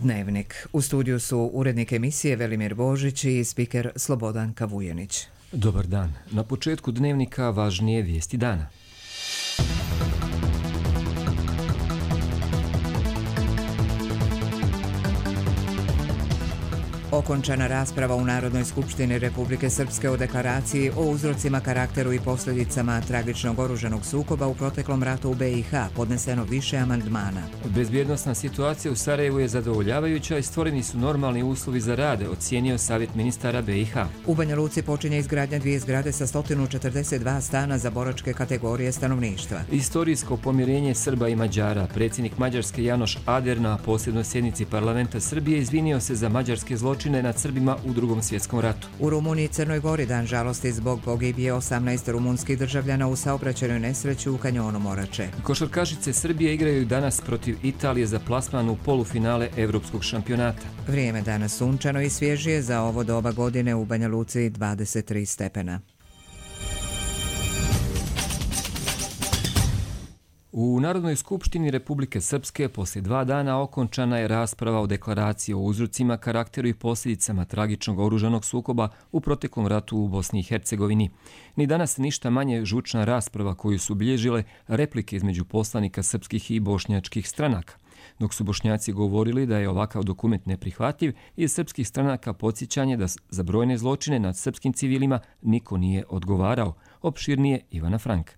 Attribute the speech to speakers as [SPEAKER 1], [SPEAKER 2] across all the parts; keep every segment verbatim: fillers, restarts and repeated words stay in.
[SPEAKER 1] Dnevnik. U studiju su urednik emisije Velimir Božić i spiker Slobodan Kavujenić.
[SPEAKER 2] Dobar dan. Na početku Dnevnika važnije vijesti dana.
[SPEAKER 1] Okončana rasprava u Narodnoj skupštini Republike Srpske o deklaraciji o uzrocima, karakteru i posljedicama tragičnog oružanog sukoba u proteklom ratu u B i H, podneseno više amandmana.
[SPEAKER 2] Bezbjednosna situacija u Sarajevu je zadovoljavajuća i stvoreni su normalni uslovi za rade, ocijenio Savjet ministara B i H.
[SPEAKER 1] U Banja Luci počinje izgradnja dvije zgrade sa sto četrdeset dva stana za boračke kategorije stanovništva.
[SPEAKER 2] Istorijsko pomirenje Srba i Mađara. Predsjednik Mađarske Janoš Ader na posljednoj sjednici parlamenta Srbije izvinio se za mađarske zločine nad Srbima u Drugom svjetskom ratu.
[SPEAKER 1] U Rumuniji i Crnoj Gori dan žalosti zbog pogibije osamnaest rumunskih državljana u saobraćajnoj nesreći u kanjonu Morače.
[SPEAKER 2] Košarkašice Srbije igraju danas protiv Italije za plasman u polufinale Evropskog šampionata.
[SPEAKER 1] Vrijeme danas sunčano i svježije, za ovo doba godine u Banja Luci dvadeset tri stepena.
[SPEAKER 2] U Narodnoj skupštini Republike Srpske poslije dva dana okončana je rasprava o deklaraciji o uzrocima, karakteru i posljedicama tragičnog oružanog sukoba u proteklom ratu u Bosni i Hercegovini. Ni danas ništa manje žučna rasprava koju su bilježile replike između poslanika srpskih i bošnjačkih stranaka. Dok su Bošnjaci govorili da je ovakav dokument neprihvatljiv, iz srpskih stranaka podsjećanje da za brojne zločine nad srpskim civilima niko nije odgovarao. Opširnije Ivana Frank.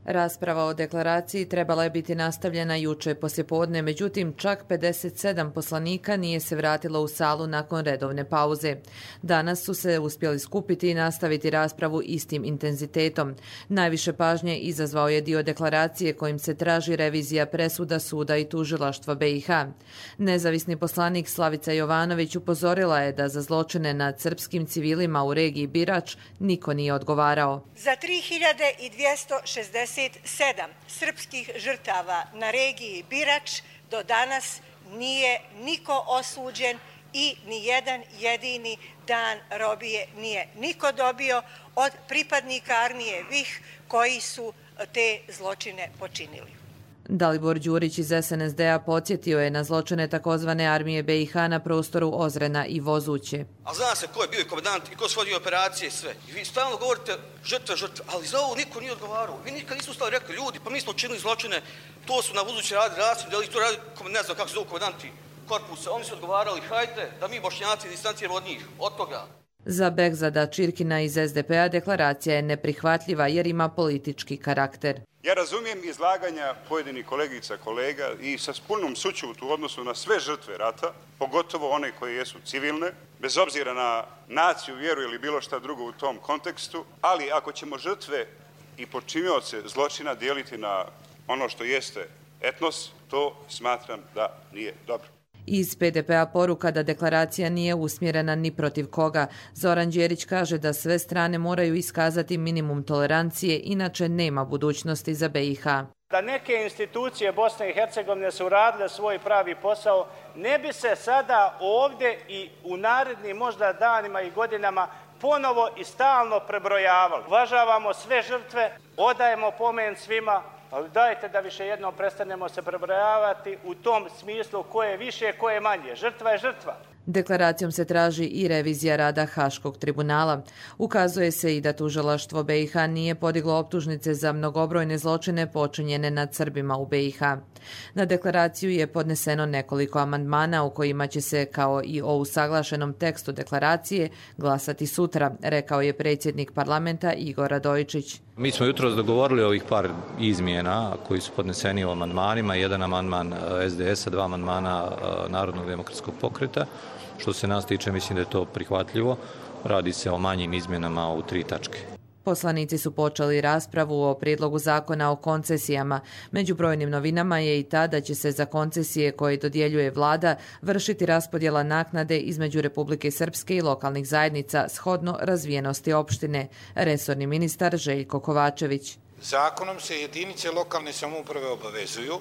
[SPEAKER 3] Rasprava o deklaraciji trebala je biti nastavljena juče poslijepodne, međutim čak pedeset sedam poslanika nije se vratilo u salu nakon redovne pauze. Danas su se uspjeli skupiti i nastaviti raspravu istim intenzitetom. Najviše pažnje izazvao je dio deklaracije kojim se traži revizija presuda suda i tužilaštva B i H. Nezavisni poslanik Slavica Jovanović upozorila je da za zločine nad srpskim civilima u regiji Birač niko nije odgovarao.
[SPEAKER 4] Za tri hiljade dvjesto šezdeset sedam srpskih žrtava na regiji Birač do danas nije niko osuđen i ni jedan jedini dan robije nije niko dobio od pripadnika armije V I H koji su te zločine počinili.
[SPEAKER 3] Dalibor Đurić iz S N S D-a podsjetio je na zločine takozvane armije B i H na prostoru Ozrena i Vozuće.
[SPEAKER 5] A zna se ko je bio komandant i ko su vodio operacije i sve. I vi stalno govorite žrtve, žrtve, ali za ovo niko nije odgovarao. Vi nikad nisu stali rekli, ljudi, pa mi smo učinili zločine, to su na Vozuće radili rasvijed, ali to radi, ne znam kako se zovu komandanti korpusa. Oni su odgovarali, hajde da mi Bošnjaci distanciramo od njih, od toga.
[SPEAKER 3] Za Begzada Čirkina iz S D P-a deklaracija je neprihvatljiva jer ima politički karakter.
[SPEAKER 6] Ja razumijem izlaganja pojedinih kolegica, kolega i sa punom sućutu u odnosu na sve žrtve rata, pogotovo one koje jesu civilne, bez obzira na naciju, vjeru ili bilo šta drugo u tom kontekstu, ali ako ćemo žrtve i počinioce zločina dijeliti na ono što jeste etnos, to smatram da nije dobro.
[SPEAKER 3] Iz P D P-a poruka da deklaracija nije usmjerena ni protiv koga. Zoran Đerić kaže da sve strane moraju iskazati minimum tolerancije, inače nema budućnosti za B i H.
[SPEAKER 7] Da neke institucije Bosne i Hercegovine su uradile svoj pravi posao, ne bi se sada ovdje i u narednim možda danima i godinama ponovo i stalno prebrojavali. Uvažavamo sve žrtve, odajemo pomen svima, ali dajte da više jednom prestanemo se prebrojavati u tom smislu ko je više, ko je manje. Žrtva je žrtva.
[SPEAKER 3] Deklaracijom se traži i revizija rada Haškog tribunala. Ukazuje se i da tužilaštvo B i H nije podiglo optužnice za mnogobrojne zločine počinjene nad Srbima u B i H. Na deklaraciju je podneseno nekoliko amandmana u kojima će se, kao i o usaglašenom tekstu deklaracije, glasati sutra, rekao je predsjednik parlamenta Igor Radojičić.
[SPEAKER 8] Mi smo jutros dogovorili ovih par izmjena koji su podneseni u amandmanima, jedan amandman S D S-a, dva amandmana Narodnog demokratskog pokreta. Što se nas tiče, mislim da je to prihvatljivo. Radi se o manjim izmjenama u tri tačke.
[SPEAKER 3] Poslanici su počeli raspravu o prijedlogu zakona o koncesijama. Među brojnim novinama je i ta da će se za koncesije koje dodjeljuje vlada vršiti raspodjela naknade između Republike Srpske i lokalnih zajednica shodno razvijenosti opštine. Resorni ministar Željko Kovačević.
[SPEAKER 9] Zakonom se jedinice lokalne samouprave obavezuju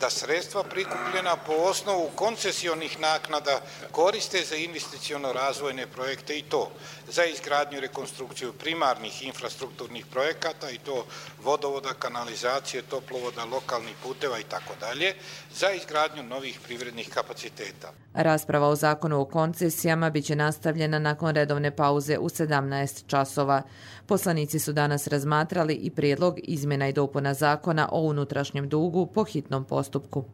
[SPEAKER 9] da sredstva prikupljena po osnovu koncesionih naknada koriste za investiciono-razvojne projekte i to za izgradnju i rekonstrukciju primarnih infrastrukturnih projekata i to vodovoda, kanalizacije, toplovoda, lokalnih puteva i tako dalje, za izgradnju novih privrednih kapaciteta.
[SPEAKER 3] Rasprava o zakonu o koncesijama biće nastavljena nakon redovne pauze u sedamnaest časova. Poslanici su danas razmatrali i prijedlog izmjena i dopuna zakona o unutrašnjem dugu po hitnom postupku.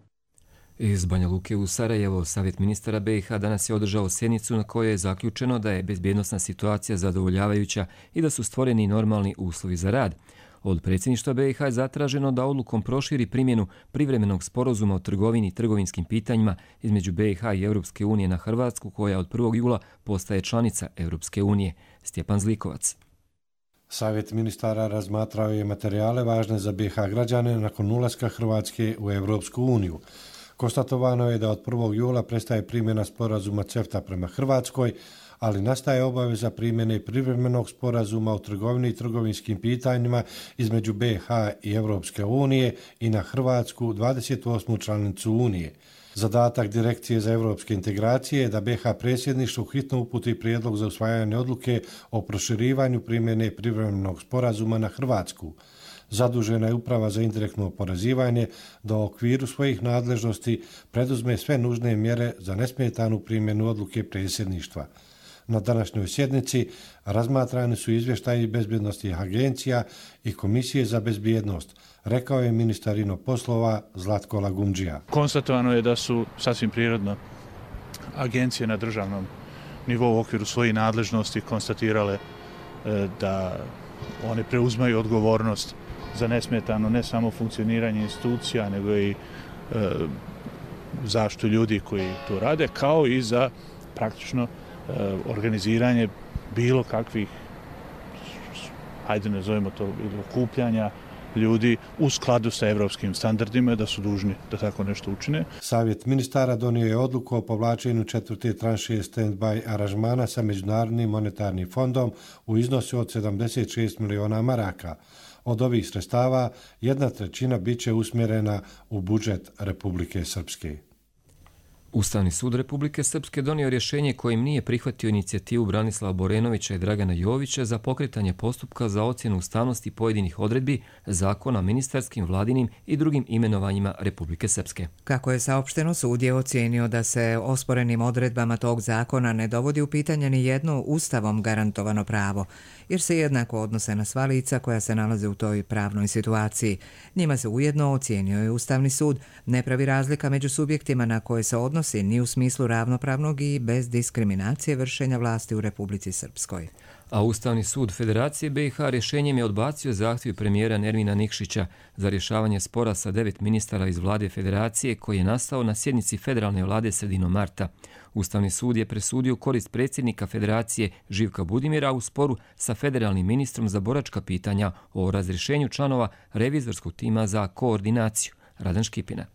[SPEAKER 2] Iz Banja Luke u Sarajevo, Savjet ministara B i H danas je održao sjednicu na kojoj je zaključeno da je bezbjednosna situacija zadovoljavajuća i da su stvoreni normalni uslovi za rad. Od predsjedništva B i H je zatraženo da odlukom proširi primjenu privremenog sporazuma o trgovini i trgovinskim pitanjima između B i H i Europske unije na Hrvatsku, koja od prvog jula postaje članica Europske unije. Stjepan Zlikovac.
[SPEAKER 10] Savjet ministara razmatrao je materijale važne za B i H građane nakon ulaska Hrvatske u Europsku uniju. Konstatovano je da od prvog jula prestaje primjena sporazuma CEFTA prema Hrvatskoj, ali nastaje obaveza primjene privremenog sporazuma o trgovini i trgovinskim pitanjima između B i H i Europske unije i na Hrvatsku, dvadeset osmu članicu Unije. Zadatak Direkcije za evropske integracije je da B i H predsjedništvu hitno uputi prijedlog za usvajanje odluke o proširivanju primjene privremenog sporazuma na Hrvatsku. Zadužena je Uprava za indirektno oporezivanje da u okviru svojih nadležnosti preduzme sve nužne mjere za nesmetanu primjenu odluke predsjedništva. Na današnjoj sjednici razmatrani su izvještaji bezbjednosti agencija i Komisije za bezbjednost, rekao je ministar ino poslova Zlatko Lagumdžija.
[SPEAKER 11] Konstatovano je da su sasvim prirodno agencije na državnom nivou u okviru svojih nadležnosti konstatirale da one preuzmaju odgovornost za nesmetano ne samo funkcioniranje institucija, nego i e, zaštitu ljudi koji to rade, kao i za praktično e, organiziranje bilo kakvih, hajde nazovimo to, okupljanja ljudi u skladu sa evropskim standardima, da su dužni da tako nešto učine.
[SPEAKER 10] Savjet ministara donio je odluku o povlačenju četvrte tranše stand-by aranžmana sa Međunarodnim monetarnim fondom u iznosu od sedamdeset šest miliona maraka. Od ovih sredstava jedna trećina biće usmjerena u budžet Republike Srpske.
[SPEAKER 2] Ustavni sud Republike Srpske donio rješenje kojim nije prihvatio inicijativu Branislava Borenovića i Dragana Jovića za pokretanje postupka za ocjenu ustavnosti pojedinih odredbi zakona ministarskim, vladinim i drugim imenovanjima Republike Srpske.
[SPEAKER 1] Kako je saopšteno, sud je ocijenio da se osporenim odredbama tog zakona ne dovodi u pitanje ni jedno ustavom garantovano pravo, jer se jednako odnose na sva lica koja se nalaze u toj pravnoj situaciji. Njima se ujedno, ocijenio je Ustavni sud, ne pravi razlika među subjektima na koje se odnosi ni u smislu ravnopravnog i bez diskriminacije vršenja vlasti u Republici Srpskoj.
[SPEAKER 2] A Ustavni sud Federacije B i H rješenjem je odbacio zahtjev premijera Nermina Nikšića za rješavanje spora sa devet ministara iz vlade Federacije koji je nastao na sjednici federalne vlade sredinom marta. Ustavni sud je presudio korist predsjednika Federacije Živka Budimira u sporu sa federalnim ministrom za boračka pitanja o razrješenju članova revizorskog tima za koordinaciju. Radan Škipina.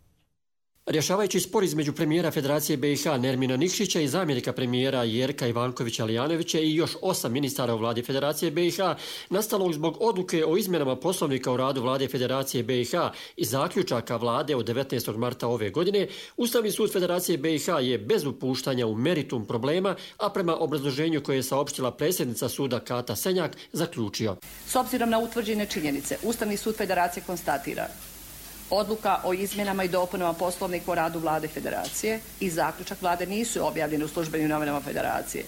[SPEAKER 12] Rješavajući spor između premijera Federacije B i H Nermina Nikšića i zamjenika premijera Jerka Ivankovića-Lijanovića i još osam ministara u vladi Federacije B i H, nastalog zbog odluke o izmjenama poslovnika u radu vlade Federacije B i H i zaključaka vlade od devetnaestog marta ove godine, Ustavni sud Federacije B i H je bez upuštanja u meritum problema, a prema obrazloženju koje je saopštila predsjednica suda Kata Senjak, zaključio.
[SPEAKER 13] S obzirom na utvrđene činjenice, Ustavni sud Federacije konstatira: odluka o izmjenama i dopunama poslovnika o radu vlade Federacije i zaključak vlade nisu objavljeni u službenim novinama Federacije,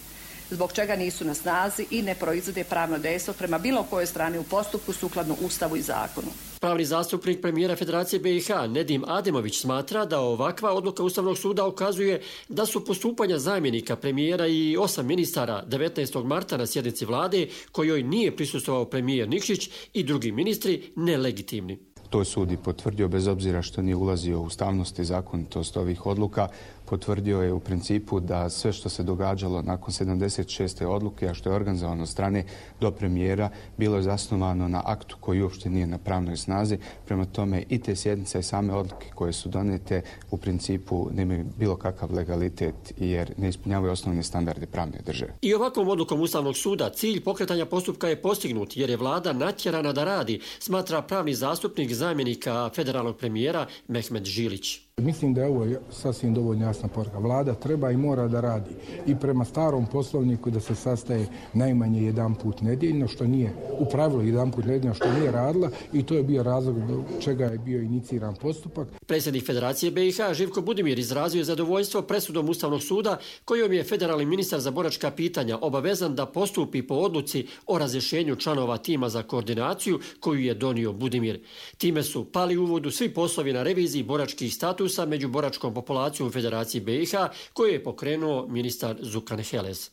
[SPEAKER 13] zbog čega nisu na snazi i ne proizvode pravno dejstvo prema bilo kojoj strani u postupku sukladno Ustavu i zakonu.
[SPEAKER 12] Pravni zastupnik premijera Federacije B i H Nedim Ademović smatra da ovakva odluka Ustavnog suda ukazuje da su postupanja zamjenika premijera i osam ministara devetnaestog marta na sjednici vlade, kojoj nije prisustvovao premijer Nikšić i drugi ministri, nelegitimni.
[SPEAKER 14] To je sud i potvrdio, bez obzira što nije ulazio u ustavnost i zakonitost ovih odluka. potvrdio je u principu da sve što se događalo nakon sedamdeset šeste odluke, a što je organizovano od strane do premijera, bilo je zasnovano na aktu koji uopšte nije na pravnoj snazi. Prema tome i te sjednice i same odluke koje su donete u principu nemaju bilo kakav legalitet jer ne ispunjavaju osnovne standarde pravne države.
[SPEAKER 12] I ovakvom odlukom Ustavnog suda cilj pokretanja postupka je postignut jer je vlada natjerana da radi, smatra pravni zastupnik zamjenika federalnog premijera Mehmet Žilić.
[SPEAKER 15] Mislim da je ovo sasvim dovoljno jasna poruka. Vlada treba i mora da radi i prema starom poslovniku da se sastaje najmanje jedan put nedjeljno, što nije u pravilu jedan put nedjeljno, što nije radila i to je bio razlog do čega je bio iniciran postupak.
[SPEAKER 12] Predsjednik Federacije B i H Živko Budimir izrazio je zadovoljstvo presudom Ustavnog suda kojom je federalni ministar za boračka pitanja obavezan da postupi po odluci o razrješenju članova tima za koordinaciju koju je donio Budimir. Time su pali u vodu svi poslovi na reviziji boračkih statusa među boračkom populacijom Federacije B i H koju je pokrenuo ministar Zukan Heles.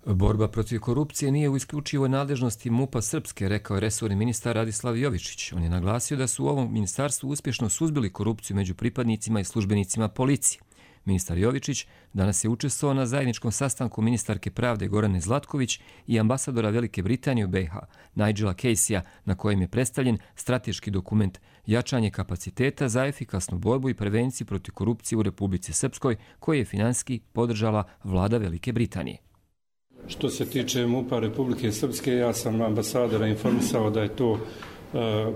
[SPEAKER 2] Borba protiv korupcije nije u isključivoj nadležnosti MUP-a Srpske, rekao je resorni ministar Radislav Jovičić. On je naglasio da su u ovom ministarstvu uspješno suzbili korupciju među pripadnicima i službenicima policije. Ministar Jovičić danas je učestvovao na zajedničkom sastanku ministarke pravde Gorane Zlatković i ambasadora Velike Britanije u B i H, Nigela Caseyja, na kojem je predstavljen strateški dokument jačanje kapaciteta za efikasnu borbu i prevenciju protiv korupcije u Republici Srpskoj, koji je finansijski podržala vlada Velike Britanije.
[SPEAKER 16] Što se tiče MUP-a Republike Srpske, ja sam ambasadora informisao da je to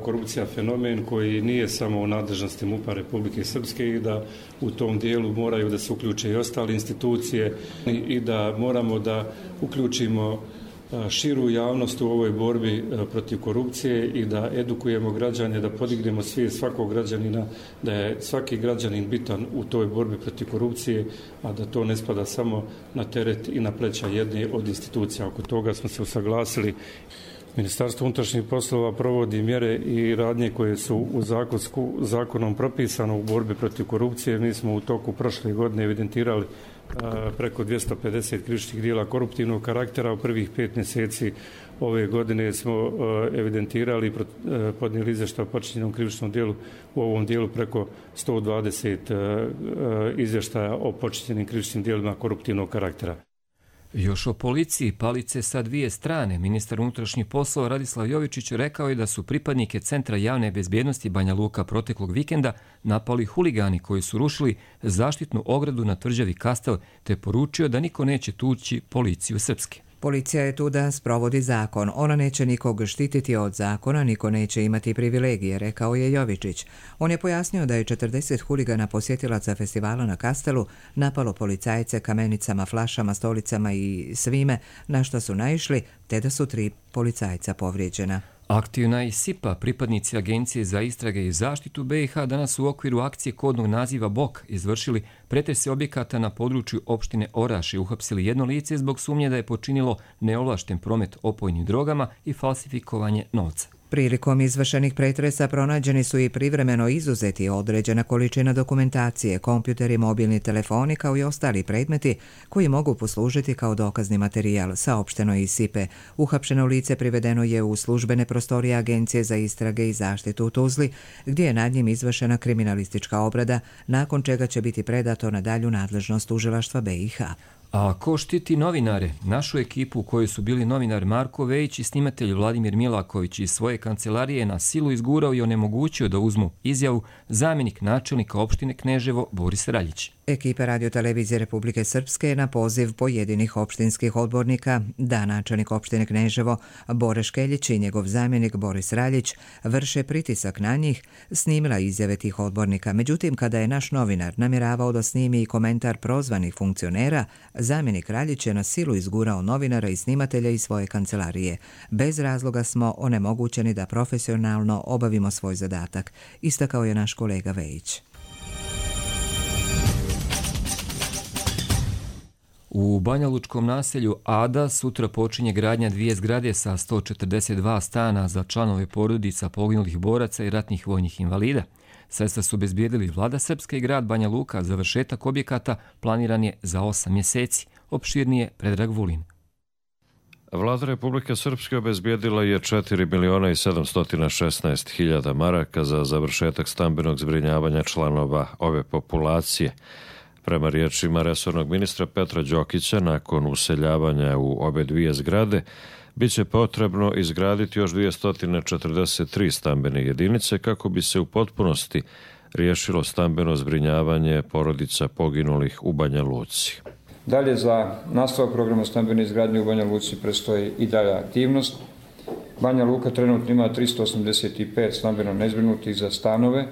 [SPEAKER 16] korupcija fenomen koji nije samo u nadležnosti MUP-a Republike Srpske i da u tom dijelu moraju da se uključe i ostale institucije i da moramo da uključimo širu javnost u ovoj borbi protiv korupcije i da edukujemo građane, da podignemo svijest svakog građanina, da je svaki građanin bitan u toj borbi protiv korupcije, a da to ne spada samo na teret i na pleća jedne od institucija. Oko toga smo se usaglasili. Ministarstvo unutrašnjih poslova provodi mjere i radnje koje su u zakonsku, zakonom propisano u borbi protiv korupcije. Mi smo u toku prošle godine evidentirali a, preko dvjesto pedeset krivičnih djela koruptivnog karaktera. U prvih pet mjeseci ove godine smo a, evidentirali i podnijeli izvještaj o počinjenom krivičnom djelu u ovom dijelu preko sto dvadeset a, a, izvještaja o počinjenim krivičnim djelima koruptivnog karaktera.
[SPEAKER 2] Još o policiji, palice sa dvije strane. Ministar unutrašnjih poslova Radislav Jovičić rekao je da su pripadnike Centra javne bezbjednosti Banja Luka proteklog vikenda napali huligani koji su rušili zaštitnu ogradu na tvrđavi Kastel, te poručio da niko neće tući policiju Srpske.
[SPEAKER 1] Policija je tu da sprovodi zakon. Ona neće nikog štititi od zakona, niko neće imati privilegije, rekao je Jovičić. On je pojasnio da je četrdeset huligana posjetilaca festivala na Kastelu napalo policajce kamenicama, flašama, stolicama i svime na što su naišli, te da su tri policajca povrijeđena.
[SPEAKER 2] Aktivna i SIPA, pripadnici Agencije za istrage i zaštitu B i H, danas u okviru akcije kodnog naziva B O K izvršili pretrese objekata na području opštine Oraš i uhapsili jedno lice zbog sumnje da je počinilo neovlašten promet opojnim drogama i falsifikovanje novca.
[SPEAKER 1] Prilikom izvršenih pretresa pronađeni su i privremeno izuzeti određena količina dokumentacije, kompjuteri, mobilni telefoni kao i ostali predmeti koji mogu poslužiti kao dokazni materijal, saopšteno iz SIPE. Uhapšeno lice privedeno je u službene prostorije Agencije za istrage i zaštitu u Tuzli, gdje je nad njim izvršena kriminalistička obrada, nakon čega će biti predato na dalju nadležnost tužilaštva B i H.
[SPEAKER 2] A ko štiti novinare? Našu ekipu u kojoj su bili novinar Marko Vejić i snimatelj Vladimir Milaković iz svoje kancelarije na silu izgurao i onemogućio da uzmu izjavu zamjenik načelnika opštine Kneževo Boris Raljić.
[SPEAKER 1] Ekipa radiotelevizije Republike Srpske na poziv pojedinih opštinskih odbornika da načelnik opštine Kneževo Bore Škeljić i njegov zamjenik Boris Raljić vrše pritisak na njih, snimila izjave tih odbornika. Međutim, kada je naš novinar namjeravao da snimi i komentar prozvanih funkcionera, zamjenik Raljić je na silu izgurao novinara i snimatelja iz svoje kancelarije. Bez razloga smo onemogućeni da profesionalno obavimo svoj zadatak, istakao je naš kolega Vejić.
[SPEAKER 2] U banjalučkom naselju Ada sutra počinje gradnja dvije zgrade sa sto četrdeset dva stana za članove porodica poginulih boraca i ratnih vojnih invalida. Sredstva su obezbijedili vlada Srpske i grad Banja Luka. Završetak objekata planiran je za osam mjeseci. Opširnije Predrag Vulin.
[SPEAKER 17] Vlada Republike Srpske obezbijedila je četiri miliona i sedamsto šesnaest hiljada maraka za završetak stambenog zbrinjavanja članova ove populacije. Prema riječima resornog ministra Petra Đokića, nakon useljavanja u obe dvije zgrade, bit će potrebno izgraditi još dvjesto četrdeset tri stambene jedinice kako bi se u potpunosti riješilo stambeno zbrinjavanje porodica poginulih u Banja Luci.
[SPEAKER 18] Dalje, za nastavak programa stambene izgradnje u Banja Luci predstoji i dalja aktivnost. Banja Luka trenutno ima tristo osamdeset pet stambeno nezbrinutih za stanove.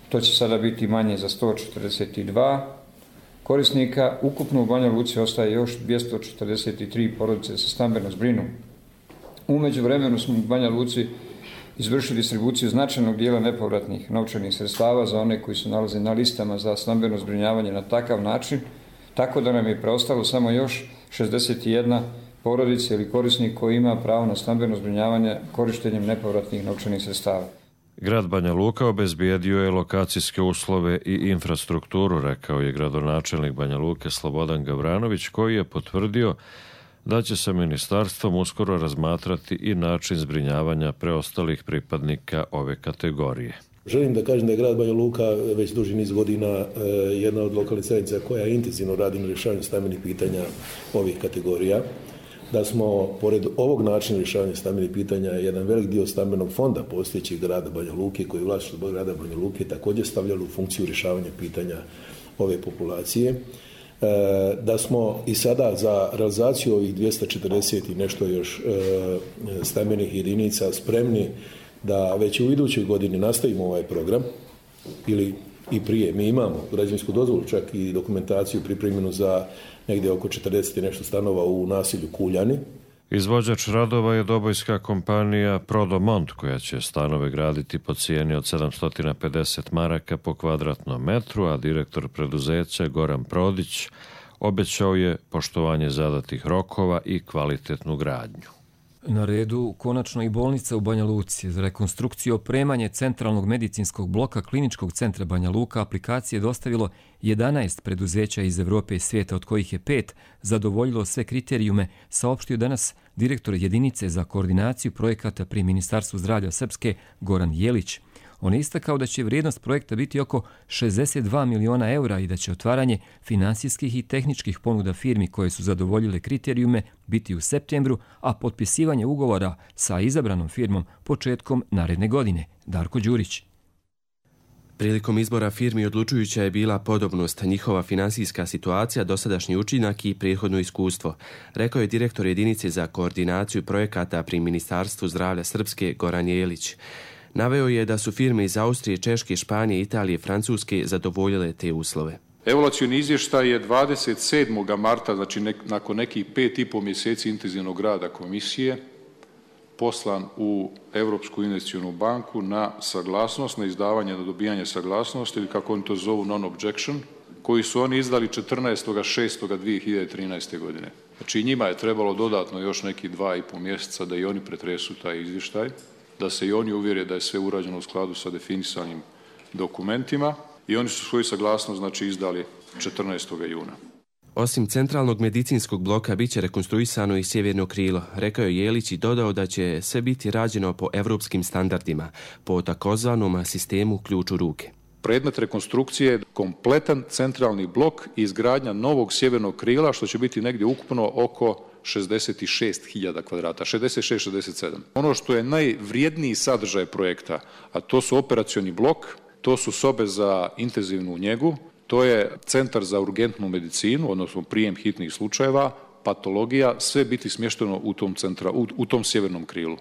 [SPEAKER 18] To će sada biti manje za sto četrdeset dva korisnika. Ukupno u Banja Luci ostaje još dvjesto četrdeset tri porodice sa stambeno zbrinu. U međuvremenu smo u Banja Luci izvršili distribuciju značajnog dijela nepovratnih novčanih sredstava za one koji se nalaze na listama za stambeno zbrinjavanje na takav način, tako da nam je preostalo samo još šezdeset jedna porodica ili korisnik koji ima pravo na stambeno zbrinjavanje korištenjem nepovratnih novčanih sredstava.
[SPEAKER 17] Grad Banja Luka obezbijedio je lokacijske uslove i infrastrukturu, rekao je gradonačelnik Banja Luke Slobodan Gavranović, koji je potvrdio da će sa ministarstvom uskoro razmatrati i način zbrinjavanja preostalih pripadnika ove kategorije.
[SPEAKER 19] Želim da kažem da je grad Banja Luka već duži niz godina jedna od lokalnih zajednica koja intenzivno radi na rješavanju stambenih pitanja ovih kategorija. Da smo, pored ovog načina rješavanja stambenih pitanja, jedan velik dio stambenog fonda postojećeg grada Banja Luke, koji je vlasništvo grada Banja Luke, također stavljali u funkciju rješavanja pitanja ove populacije. Da smo i sada za realizaciju ovih dvjesto četrdeset i nešto još stambenih jedinica spremni da već u idućoj godini nastavimo ovaj program ili i prije. Mi imamo građevinsku dozvolu, čak i dokumentaciju pripremljenu za negdje oko četrdeset i nešto stanova u naselju Kuljani.
[SPEAKER 17] Izvođač radova je dobojska kompanija Prodomont, koja će stanove graditi po cijeni od sedamsto pedeset maraka po kvadratnom metru, a direktor preduzeća Goran Prodić obećao je poštovanje zadatih rokova i kvalitetnu gradnju.
[SPEAKER 2] Na redu konačno i bolnica u Banja Luci. Za rekonstrukciju i opremanje centralnog medicinskog bloka Kliničkog centra Banja Luka aplikacije je dostavilo jedanaest preduzeća iz Evrope i svijeta, od kojih je pet zadovoljilo sve kriterijume, saopštio danas direktor jedinice za koordinaciju projekata pri Ministarstvu zdravlja Srpske Goran Jelić. On je istakao da će vrijednost projekta biti oko šezdeset dva miliona eura i da će otvaranje finansijskih i tehničkih ponuda firmi koje su zadovoljile kriterijume biti u septembru, a potpisivanje ugovora sa izabranom firmom početkom naredne godine. Darko Đurić.
[SPEAKER 20] Prilikom izbora firmi odlučujuća je bila podobnost, njihova finansijska situacija, dosadašnji učinak i prethodno iskustvo, rekao je direktor jedinice za koordinaciju projekata pri Ministarstvu zdravlja Srpske Goran Jelić. Naveo je da su firme iz Austrije, Češke, Španije, Italije i Francuske zadovoljile te uslove.
[SPEAKER 21] Evaluacioni izvještaj je dvadeset sedmog marta, znači nek, nakon nekih pet i pol mjeseci intenzivnog rada komisije, poslan u Europsku investicionu banku na saglasnost, na izdavanje, na dobijanje saglasnosti, ili kako oni to zovu non-objection, koji su oni izdali četrnaestog šestog dvije hiljade trinaeste. godine. Znači njima je trebalo dodatno još neki dva i pol mjeseca da i oni pretresu taj izvještaj, da se i oni uvjere da je sve urađeno u skladu sa definisanim dokumentima i oni su svoju saglasnost znači izdali četrnaestog juna.
[SPEAKER 20] Osim centralnog medicinskog bloka bit će rekonstruisano i sjeverno krilo, rekao je Jelić i dodao da će sve biti rađeno po evropskim standardima, po takozvanom sistemu ključ u ruke.
[SPEAKER 21] Predmet rekonstrukcije je kompletan centralni blok i izgradnja novog sjevernog krila, što će biti negdje ukupno oko šezdeset šest hiljada kvadrata, šezdeset šest šezdeset sedam. Ono što je najvrijedniji sadržaj projekta, a to su operacioni blok, to su sobe za intenzivnu njegu, to je centar za urgentnu medicinu, odnosno prijem hitnih slučajeva, patologija, sve biti smješteno u tom, centra, u, u tom sjevernom krilu.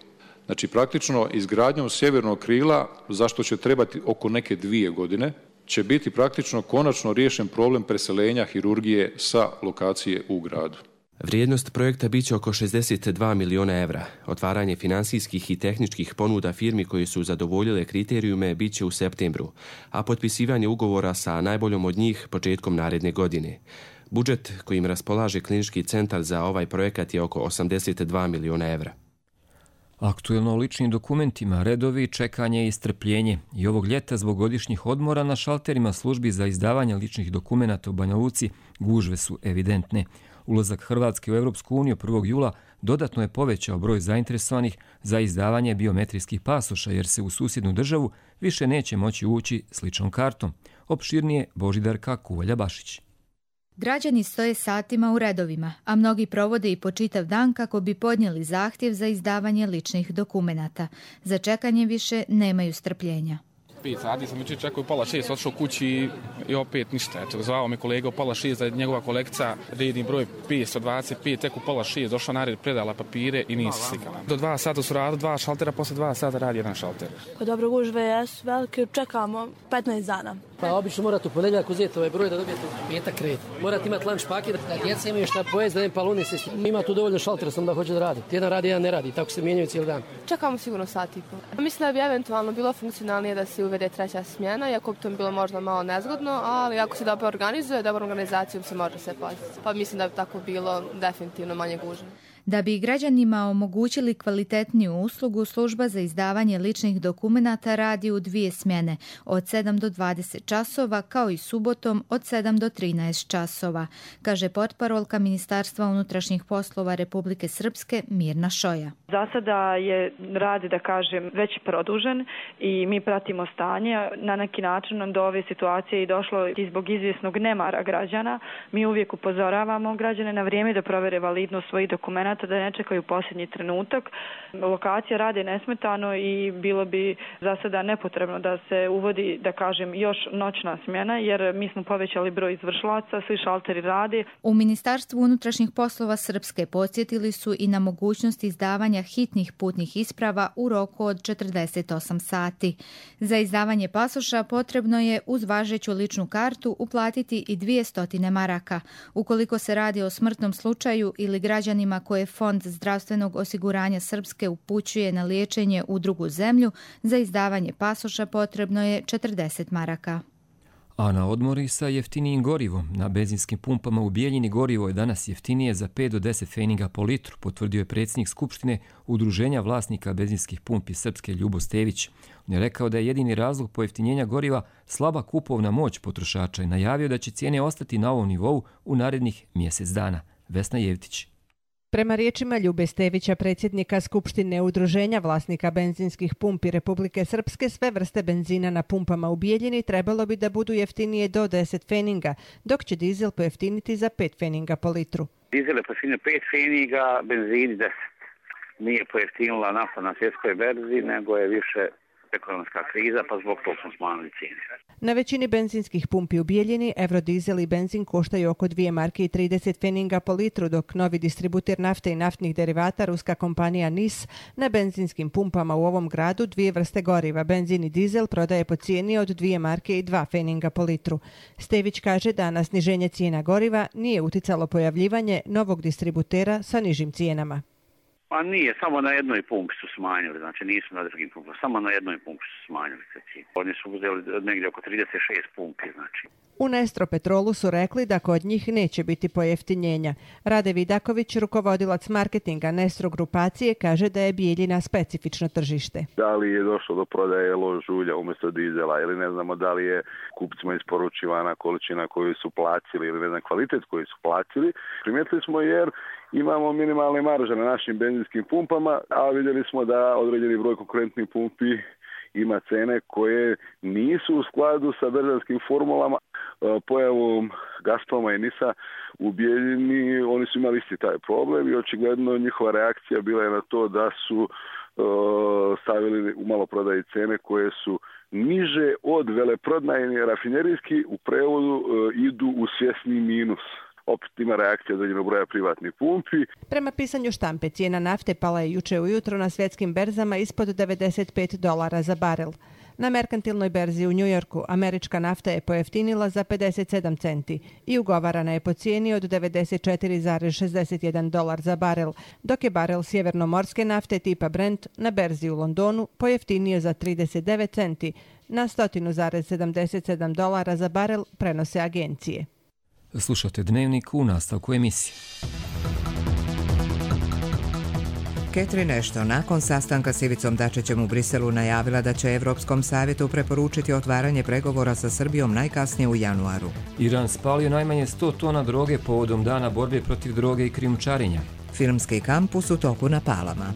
[SPEAKER 21] Znači praktično izgradnjom sjevernog krila, zašto će trebati oko neke dvije godine, će biti praktično konačno riješen problem preseljenja hirurgije sa lokacije u gradu.
[SPEAKER 20] Vrijednost projekta biće oko šezdeset dva miliona evra. Otvaranje finansijskih i tehničkih ponuda firmi koje su zadovoljile kriterijume biće u septembru, a potpisivanje ugovora sa najboljom od njih početkom naredne godine. Budžet kojim raspolaže klinički centar za ovaj projekat je oko osamdeset dva miliona evra.
[SPEAKER 2] Aktuelno o ličnim dokumentima, redovi, čekanje i strpljenje. I ovog ljeta zbog godišnjih odmora na šalterima službi za izdavanje ličnih dokumenata u Banja Luci gužve su evidentne. Ulazak Hrvatske u Europsku uniju prvog jula dodatno je povećao broj zainteresovanih za izdavanje biometrijskih pasoša, jer se u susjednu državu više neće moći ući s ličnom kartom. Opširnije Božidarka Kuvalja-Bašić.
[SPEAKER 4] Građani stoje satima u redovima, a mnogi provode i po čitav dan kako bi podnijeli zahtjev za izdavanje ličnih dokumenata. Za čekanje više nemaju strpljenja.
[SPEAKER 22] Pet sati sam jučer čekao pola šest, otišao kući i opet ništa. Eto, zvao me kolega u pola šest da je njegova kolekcija redni broj petsto dvadeset pet, tek u pola šest došla na red, predala papire i nije se slikala. Do dva sata su radili dva šaltera, posle dva sata radi jedan šalter.
[SPEAKER 23] Kod dobro gužve jesu velike, čekamo petnaest dana.
[SPEAKER 24] Pa obično morate u ponedjeljak uzeti ovaj broj da dobijete petak red. Morate imati lunch paket, da djeca imaju šta pojesti, da ne paluni se. Ima tu dovoljno šaltera sam da hoće da radi. Jedan radi, jedan ne radi, tako se mijenjaju cijeli dan.
[SPEAKER 23] Čekamo sigurno sat i po. Mislim da bi eventualno bilo funkcionalnije da se uvede treća smjena, iako bi to bilo možda malo nezgodno, ali ako se dobro organizuje, dobro organizacijom se može sve paziti. Pa mislim da bi tako bilo definitivno manje gužve.
[SPEAKER 4] Da bi građanima omogućili kvalitetniju uslugu, služba za izdavanje ličnih dokumenata radi u dvije smjene, od sedam do dvadeset časova, kao i subotom od sedam do trinaest časova, kaže portparolka Ministarstva unutrašnjih poslova Republike Srpske Mirna Šoja.
[SPEAKER 25] Za sada je rad, da kažem, već produžen i mi pratimo stanje. Na neki način do ove situacije je došlo i zbog izvjesnog nemara građana. Mi uvijek upozoravamo građane na vrijeme da provere validnost svojih dokumenata, da ne čekaju posljednji trenutak. Lokacija radi nesmetano i bilo bi za sada nepotrebno da se uvodi, da kažem, još noćna smjena, jer mi smo povećali broj izvršilaca, svi šalteri radi.
[SPEAKER 4] U Ministarstvu unutrašnjih poslova Srpske podsjetili su i na mogućnost izdavanja hitnih putnih isprava u roku od četrdeset osam sati. Za izdavanje pasoša potrebno je uz važeću ličnu kartu uplatiti i dvjesto maraka. Ukoliko se radi o smrtnom slučaju ili građanima koje Fond zdravstvenog osiguranja Srpske upućuje na liječenje u drugu zemlju, za izdavanje pasoša potrebno je četrdeset maraka.
[SPEAKER 2] A na odmori sa jeftinijim gorivom. Na benzinskim pumpama u Bijeljini gorivo je danas jeftinije za pet do deset feninga po litru, potvrdio je predsjednik Skupštine Udruženja vlasnika benzinskih pumpi Srpske Ljubo Stević. On je rekao da je jedini razlog pojeftinjenja goriva slaba kupovna moć potrošača i najavio da će cijene ostati na ovom nivou u narednih mjesec dana. Vesna Jevtić.
[SPEAKER 26] Prema riječima Ljube Stevića, predsjednika Skupštine Udruženja vlasnika benzinskih pumpi Republike Srpske, sve vrste benzina na pumpama u Bijeljini trebalo bi da budu jeftinije do deset feninga, dok će dizel pojeftiniti za pet feninga po litru.
[SPEAKER 27] Dizel je pojeftinio pet feninga, benzin deset. Nije pojeftinila nafta na svjetskoj berzi, nego je više ekonomska kriza, pa zbog toga smo smanjili cijene.
[SPEAKER 26] Na većini benzinskih pumpi u Bijeljini eurodizel i benzin koštaju oko dvije marke i trideset feninga po litru, dok novi distributer nafte i naftnih derivata, ruska kompanija N I S, na benzinskim pumpama u ovom gradu dvije vrste goriva, benzin i dizel, prodaje po cijeni od dvije marke i dva feninga po litru. Stević kaže da na sniženje cijena goriva nije uticalo pojavljivanje novog distributera sa nižim cijenama.
[SPEAKER 27] Pa nije, samo na jednoj pumpi su smanjili, znači nisu na drugim pumpama, samo na jednoj pumpi su smanjili se cijene. Oni su uzeli negdje oko trideset šest pumpi, znači.
[SPEAKER 26] U Nestro Petrolu su rekli da kod njih neće biti pojeftinjenja. Rade Vidaković, rukovodilac marketinga Nestro grupacije, kaže da je Bijeljina specifično tržište.
[SPEAKER 28] Da li je došlo do prodaje lož ulja umjesto dizela ili ne znamo da li je kupcima isporučivana količina koju su platili ili ne znam kvalitet koji su platili. Primijetili smo jer imamo minimalne marže na našim benzinskim pumpama, a vidjeli smo da određeni broj konkurentnih pumpi ima cene koje nisu u skladu sa državskim formulama. Pojavom Gazproma i N I S-a u Bijeljini oni su imali isti taj problem i očigledno njihova reakcija bila je na to da su uh, stavili u maloprodaji cene koje su niže od veleprodajne, rafinerijski u prevodu uh, idu u svjesni minus. Opet ima reakcija određenog broja privatnih pumpi.
[SPEAKER 26] Prema pisanju štampe, cijena nafte pala je juče ujutro na svjetskim berzama ispod devedeset pet dolara za barel. Na merkantilnoj berzi u Njujorku američka nafta je pojeftinila za pedeset sedam centi i ugovarana je po cijeni od devedeset četiri zarez šezdeset jedan dolar za barel, dok je barel sjevernomorske nafte tipa Brent na berzi u Londonu pojeftinio za trideset devet centi na sto zarez sedamdeset sedam dolara za barel, prenose agencije.
[SPEAKER 2] Slušate Dnevnik u nastavku emisije.
[SPEAKER 1] Catherine Ashton nakon sastanka s Ivicom Dačićem u Briselu najavila da će Evropskom savjetu preporučiti otvaranje pregovora sa Srbijom najkasnije u januaru.
[SPEAKER 2] Iran spalio najmanje sto tona droge povodom dana borbe protiv droge i krijumčarenja.
[SPEAKER 1] Filmski kampus u toku na Palama.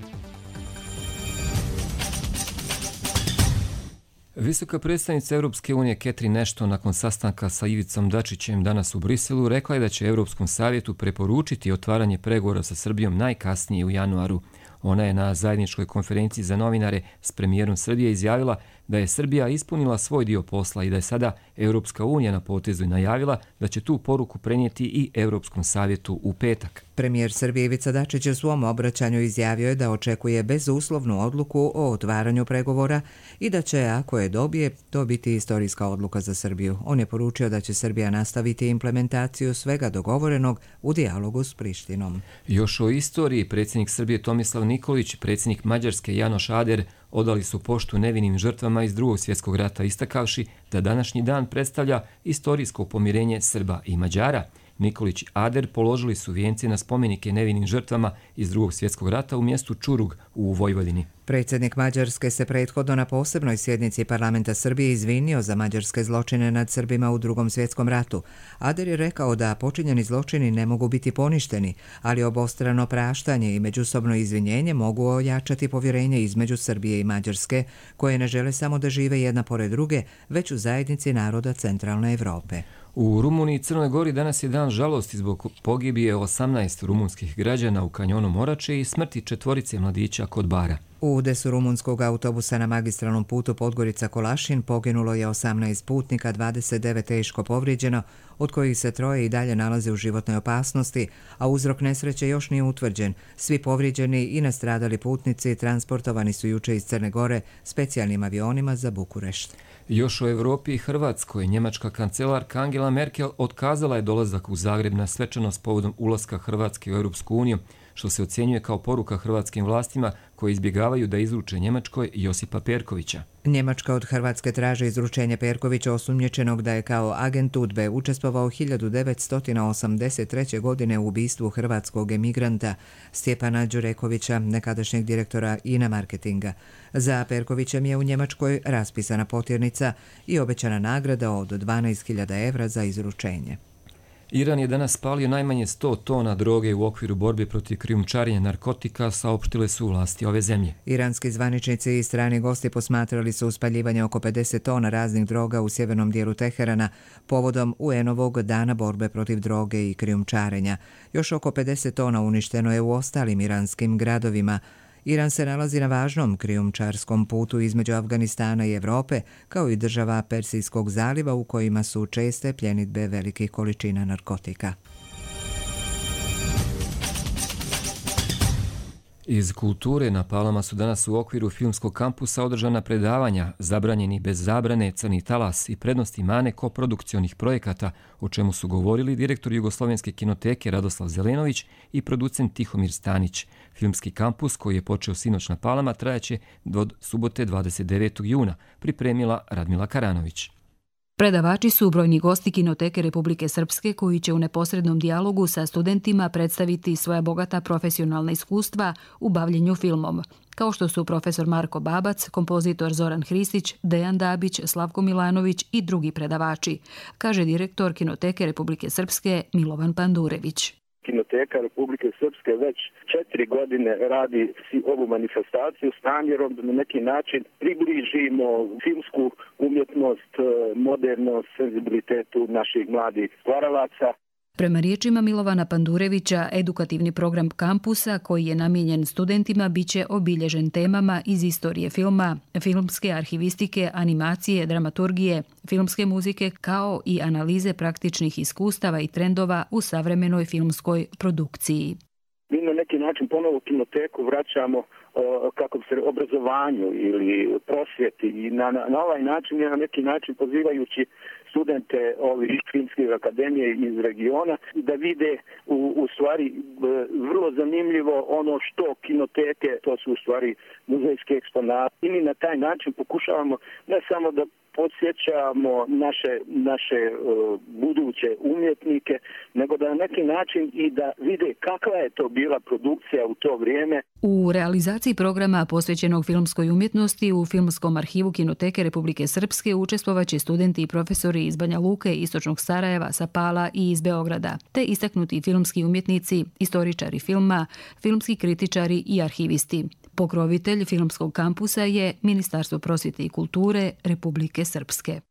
[SPEAKER 2] Visoka predstavnica Europske unije Catherine Ashton nakon sastanka sa Ivicom Dačićem danas u Briselu rekla je da će Europskom savjetu preporučiti otvaranje pregovora sa Srbijom najkasnije u januaru. Ona je na zajedničkoj konferenciji za novinare s premijerom Srbije izjavila da je Srbija ispunila svoj dio posla i da je sada Europska unija na potezu i najavila da će tu poruku prenijeti i Europskom savjetu u petak.
[SPEAKER 1] Premijer Srbije Ivica Dačić u svom obraćanju izjavio je da očekuje bezuslovnu odluku o otvaranju pregovora i da će, ako je dobije, to biti istorijska odluka za Srbiju. On je poručio da će Srbija nastaviti implementaciju svega dogovorenog u dijalogu s Prištinom.
[SPEAKER 2] Još o istoriji predsjednik Srbije Tomislav Nikolić, predsjednik Mađarske Janoš Ader odali su poštu nevinim žrtvama iz Drugog svjetskog rata, istakavši da današnji dan predstavlja istorijsko pomirenje Srba i Mađara. Nikolić i Ader položili su vijence na spomenike nevinim žrtvama iz Drugog svjetskog rata u mjestu Čurug u Vojvodini.
[SPEAKER 1] Predsjednik Mađarske se prethodno na posebnoj sjednici parlamenta Srbije izvinio za mađarske zločine nad Srbima u Drugom svjetskom ratu. Ader je rekao da počinjeni zločini ne mogu biti poništeni, ali obostrano praštanje i međusobno izvinjenje mogu ojačati povjerenje između Srbije i Mađarske, koje ne žele samo da žive jedna pored druge, već u zajednici naroda centralne Evrope.
[SPEAKER 2] U Rumuniji i Crnoj Gori danas je dan žalosti zbog pogibije osamnaest rumunskih građana u kanjonu Morače i smrti četvorice mladića kod Bara.
[SPEAKER 1] U udesu rumunskog autobusa na magistralnom putu Podgorica-Kolašin poginulo je osamnaest putnika, dvadeset devet teško povrijeđeno, od kojih se troje i dalje nalaze u životnoj opasnosti, a uzrok nesreće još nije utvrđen. Svi povrijeđeni i nastradali putnici transportovani su juče iz Crne Gore specijalnim avionima za Bukurešt.
[SPEAKER 2] Još o Evropi i Hrvatskoj, njemačka kancelarka Angela Merkel otkazala je dolazak u Zagreb na svečanost povodom ulaska Hrvatske u Europsku uniju, što se ocjenjuje kao poruka hrvatskim vlastima koji izbjegavaju da izruče Njemačkoj Josipa Perkovića.
[SPEAKER 1] Njemačka od Hrvatske traži izručenje Perkovića, osumnjičenog da je kao agent UDBE učestvovao hiljadu devetsto osamdeset treće. godine u ubistvu hrvatskog emigranta Stjepana Đurekovića, nekadašnjeg direktora I N A marketinga. Za Perkovićem je u Njemačkoj raspisana potjernica i obećana nagrada od dvanaest hiljada evra za izručenje.
[SPEAKER 2] Iran je danas spalio najmanje sto tona droge u okviru borbe protiv krijumčarenja narkotika, saopštile su vlasti ove zemlje.
[SPEAKER 1] Iranski zvaničnici i strani gosti posmatrali su uspaljivanje oko pedeset tona raznih droga u sjevernom dijelu Teherana povodom U N-ovog dana borbe protiv droge i krijumčarenja. Još oko pedeset tona uništeno je u ostalim iranskim gradovima. Iran se nalazi na važnom krijumčarskom putu između Afganistana i Evrope, kao i država Persijskog zaliva u kojima su česte pljenidbe velikih količina narkotika.
[SPEAKER 2] Iz kulture na Palama su danas u okviru filmskog kampusa održana predavanja Zabranjeni bez zabrane, Crni talas i prednosti mane koprodukcionih projekata, o čemu su govorili direktor Jugoslovenske kinoteke Radoslav Zelenović i producent Tihomir Stanić. Filmski kampus, koji je počeo sinoć na Palama, trajaće do subote dvadeset devetog juna, pripremila Radmila Karanović.
[SPEAKER 3] Predavači su brojni gosti Kinoteke Republike Srpske koji će u neposrednom dijalogu sa studentima predstaviti svoja bogata profesionalna iskustva u bavljenju filmom, kao što su profesor Marko Babac, kompozitor Zoran Hristić, Dejan Dabić, Slavko Milanović i drugi predavači, kaže direktor Kinoteke Republike Srpske Milovan Pandurević.
[SPEAKER 5] Kinoteka Republike Srpske već četiri godine radi ovu manifestaciju s namjerom da na neki način približimo filmsku umjetnost, modernost, senzibilitetu naših mladih stvaralaca.
[SPEAKER 3] Prema riječima Milovana Pandurevića, edukativni program kampusa koji je namijenjen studentima biće obilježen temama iz istorije filma, filmske arhivistike, animacije, dramaturgije, filmske muzike kao i analize praktičnih iskustava i trendova u savremenoj filmskoj produkciji.
[SPEAKER 5] Mi na neki način ponovo Kinoteku vraćamo kako bi se obrazovanju ili prosvjeti i na, na, na ovaj način je na neki način pozivajući studente ovih filmskih akademije iz regiona da vide u, u stvari vrlo zanimljivo ono što kinoteke, to su u stvari muzejske eksponate. I mi na taj način pokušavamo ne samo da podsjećamo naše, naše uh, buduće umjetnike, nego da na neki način i da vide kakva je to bila produkcija u to vrijeme.
[SPEAKER 3] U realizaciji programa posvećenog filmskoj umjetnosti u Filmskom arhivu Kinoteke Republike Srpske učestvovaće studenti i profesori iz Banja Luke, Istočnog Sarajeva, Sapala i iz Beograda, te istaknuti filmski umjetnici, istoričari filma, filmski kritičari i arhivisti. Pokrovitelj filmskog kampusa je Ministarstvo prosvjete i kulture Republike Srpske.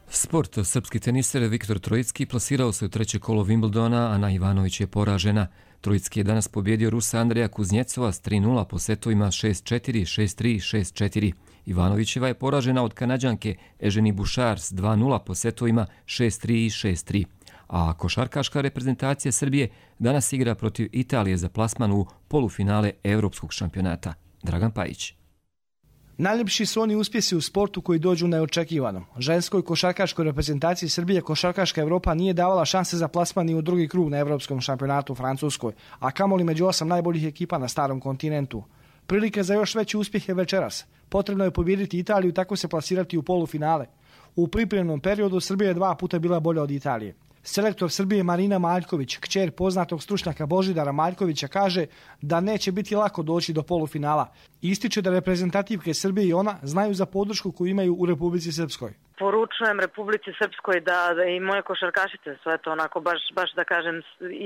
[SPEAKER 2] Sport. Srpski teniser Viktor Trojicki plasirao se u treće kolo Wimbledona, Ana Ivanović je poražena. Trojicki je danas pobjedio Rusa Andreja Kuznjecova s tri nula po setovima šest četiri, šest tri, šest četiri. Ivanovićeva je poražena od Kanađanke Eženi Bušar s dva nula po setovima šest tri i šest tri. A košarkaška reprezentacija Srbije danas igra protiv Italije za plasman u polufinale Evropskog šampionata. Dragan Pajić.
[SPEAKER 6] Najljepši su oni uspjesi u sportu koji dođu neočekivano. Ženskoj košarkaškoj reprezentaciji Srbije košarkaška Evropa nije davala šanse za plasman ni u drugi krug na Evropskom šampionatu u Francuskoj, a kamoli među osam najboljih ekipa na starom kontinentu. Prilike za još veći uspjeh je večeras. Potrebno je pobijediti Italiju i tako se plasirati u polufinale. U pripremnom periodu Srbija je dva puta bila bolja od Italije. Selektor Srbije Marina Maljković, kćer poznatog stručnjaka Božidara Maljkovića, kaže da neće biti lako doći do polufinala. Ističe da reprezentativke Srbije i ona znaju za podršku koju imaju u Republici Srpskoj.
[SPEAKER 7] Poručujem Republici Srpskoj da, da i moje košarkašice su eto onako baš, baš da kažem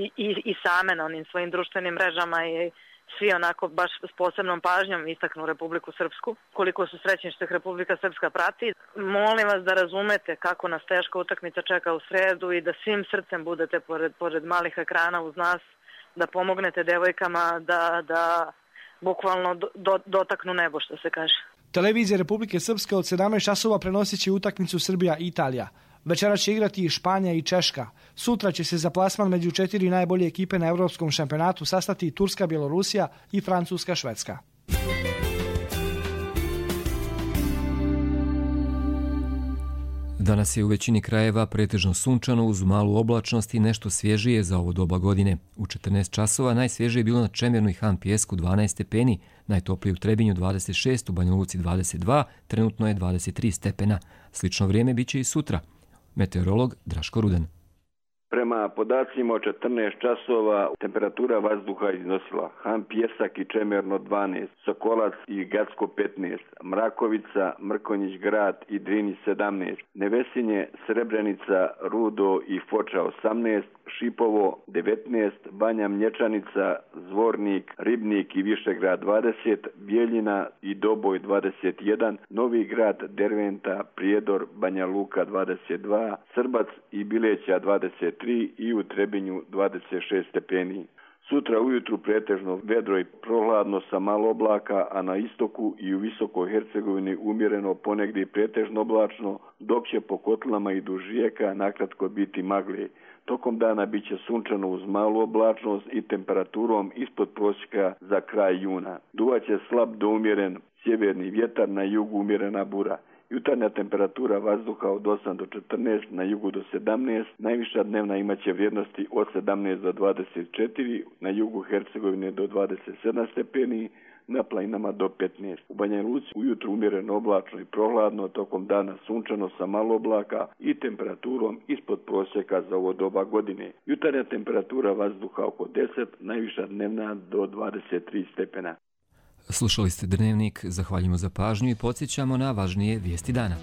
[SPEAKER 7] i, i, i same na onim svojim društvenim mrežama i svi onako baš s posebnom pažnjom istaknu Republiku Srpsku. Koliko su srećni što ih Republika Srpska prati. Molim vas da razumete kako nas teška utakmica čeka u sredu i da svim srcem budete pored, pored malih ekrana uz nas, da pomognete devojkama da, da bukvalno do, do, dotaknu nebo, što se kaže.
[SPEAKER 6] Televizija Republike Srpske od sedamnaest časova prenosit će utakmicu Srbija i Italija. Večera će igrati i Španija i Češka. Sutra će se za plasman među četiri najbolje ekipe na Evropskom šampionatu sastati Turska, Bjelorusija i Francuska, Švedska.
[SPEAKER 2] Danas je u većini krajeva pretežno sunčano uz malu oblačnost i nešto svježije za ovo doba godine. U četrnaest časova najsvježije je bilo na Čemernu i Han Pijesku dvanaest stepeni, najtoplije u Trebinju dvadeset šest, u Banja Luci dvadeset dva, trenutno je dvadeset tri stepena. Slično vrijeme biće i sutra. Meteorolog Draško Rudan.
[SPEAKER 8] Prema podacima od četrnaest časova temperatura vazduha iznosila Han Pijesak i Čemerno dvanaest, Sokolac i Gacko petnaest, Mrakovica, Mrkonjić grad i Drini sedamnaest, Nevesinje, Srebrenica, Rudo i Foča osamnaest, Šipovo devetnaest, Banja Mlječanica, Zvornik, Ribnik i Višegrad dvadeset, Bijeljina i Doboj dvadeset jedan, Novi grad, Derventa, Prijedor, Banja Luka dvadeset dva, Srbac i Bileća dvadeset tri i u Trebinju dvadeset šest stepeni. Sutra ujutru pretežno vedro i prohladno sa malo oblaka, a na istoku i u Visokoj Hercegovini umjereno ponegdje pretežno oblačno, dok će po kotlama i duž rijeka nakratko biti magle. Tokom dana bit će sunčano uz malu oblačnost i temperaturom ispod prosjeka za kraj juna. Duvaće slab do umjeren sjeverni vjetar, na jugu umjerena bura. Jutarnja temperatura vazduha od osam do četrnaest, na jugu do sedamnaest, najviša dnevna imaće vrijednosti od sedamnaest do dvadeset četiri, na jugu Hercegovine do dvadeset sedam stepeni, na planinama do petnaest. U Banja Luci ujutru umjereno oblačno i prohladno, tokom dana sunčano sa malo oblaka i temperaturom ispod prosjeka za ovo doba godine. Jutarnja temperatura vazduha oko deset, najviša dnevna do dvadeset tri stepena.
[SPEAKER 2] Slušali ste Dnevnik, zahvaljujemo za pažnju i podsjećamo na važnije vijesti dana.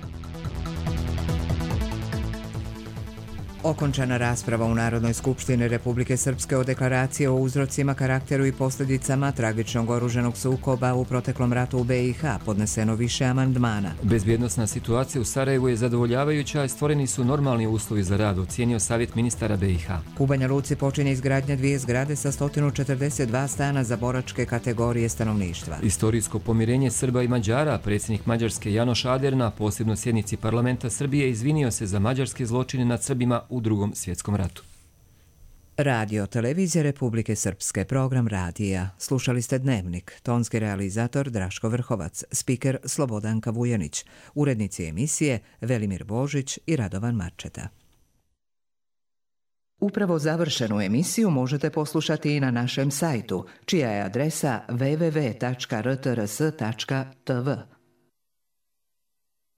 [SPEAKER 1] Okončana rasprava u Narodnoj skupštini Republike Srpske o deklaraciji o uzrocima, karakteru i posljedicama tragičnog oružanog sukoba u proteklom ratu u be i ha, podneseno više amandmana.
[SPEAKER 2] Bezbjednosna situacija u Sarajevu je zadovoljavajuća i stvoreni su normalni uslovi za rad, ocijenio savjet ministara be i ha.
[SPEAKER 1] U Banja Luci počinje izgradnja dvije zgrade sa sto četrdeset dva stana za boračke kategorije stanovništva.
[SPEAKER 2] Istorijsko pomirenje Srba i Mađara, predsjednik Mađarske Janoš Ader na posebnoj sjednici parlamenta Srbije izvinio se za mađarske zločine nad Srbima u drugom svjetskom ratu.
[SPEAKER 1] Radio Televizija Republike Srpske, program radija. Slušali ste Dnevnik, tonski realizator Draško Vrhovac, spiker Slobodanka Vujanić, urednici emisije Velimir Božić i Radovan Marčeta. Upravo završenu emisiju možete poslušati i na našem sajtu, čija je adresa w w w tačka r t r s tačka t v.